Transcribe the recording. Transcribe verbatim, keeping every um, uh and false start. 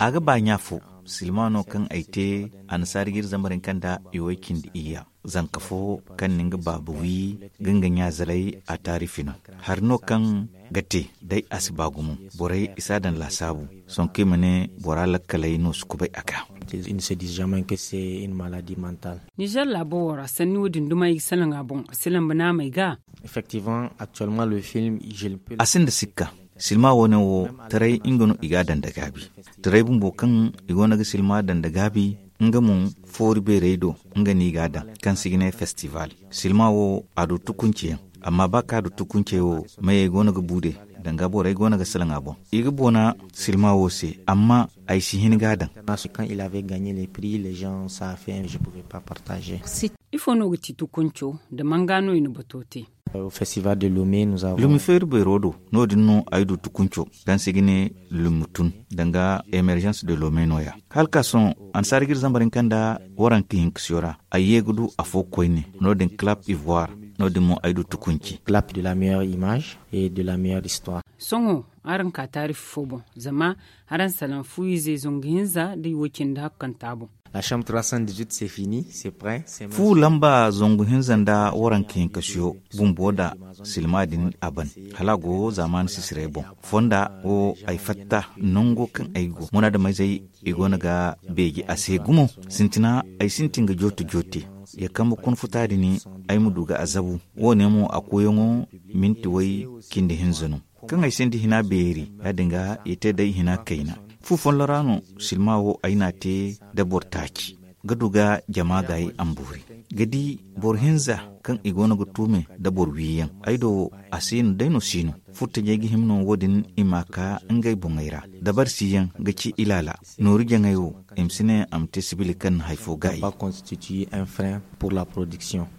A ga ba ɲa fo. Silma no kaŋ ay te, annasaari ga iri zambar hinka nda i way cindi iyya. Zanka fo kaŋ na nga baaba wi ga nga ɲa zalay a taarifi no. Hari no kaŋ ga te day a si ba gumo. Borey i si a daŋ laasaabu. Sohõ kaŋ i ma ne bora lakkaley no si kubay a ga. Nizer laabo wo ra sanni wo- din duma i ga salaŋ a boŋ a si lamba naamey ga. A sinda sikka. Silma wo- ne wo taray nga no i ga a daŋ da gaabi. Taray bumbo kaŋ i go no ga silma daŋ da gaabi, nga mo foori beerey do. Nga no i ga a daŋ kaŋ se i ga ne festival. Silma wo a du tukunceyaŋ. Amma ba kaŋ a du tukuncey wo, mayey go no ga buude. Danga borey go no ga salaŋ a boŋ. I ga boona silma wo se, amma ay si hin ga a daŋ. Ifo no ga ti tukunco? Da manga no i na bato te? Lumi feeri beero do. No- din no ay du tukunco kaŋ se i ga ne lumi tun, danga emergence de lome no- ya. Hala ka sohõ annasaari ga iri zambar hinka nda waranka hinka siyo ra. Ay ye ga du afo koyne. No- din clap ivoire. No- din mo ay du tukunci. Clap de la meilleure image et de la meilleure histoire. Sohõ araŋ ka taarifi fo boŋ. Zama araŋ salaŋ fu ize zangu hinza da i wo- cindi hakkanta boŋ. Fu lamba zangu hinza nda waranka hinka siyo bumbo da silma din a ban. Hala a go zaamaani sisiray boŋ. Fonda wo ay fatta nango kaŋ ay go munaadamizey i go no ga beeji a se gumo. Sintina ay sintin ga jooto joote. Ya kambe kuna futa din ay ma du ga a zabu. Wo- ne mo a koyaŋo minti way cindi hinza no. Kaŋ ay sinda hina beeri ya- din ga i te day hina kayna. Fu follo ra no silma wo ay n'a te da boro taaci ga du ga jama gaayi a ma boori. Ga di boro hinza kaŋ i go no ga tuume da boro wiiyaŋ. Ay do a si no day no si no. Furtajey ga hima no wo- din i ma a ka ngey boŋey ra. Dabari siyaŋ ga ci ilaala. Nooru jaŋey wo i ma si ne a ma te sibili kaŋ na hari fo gaayi.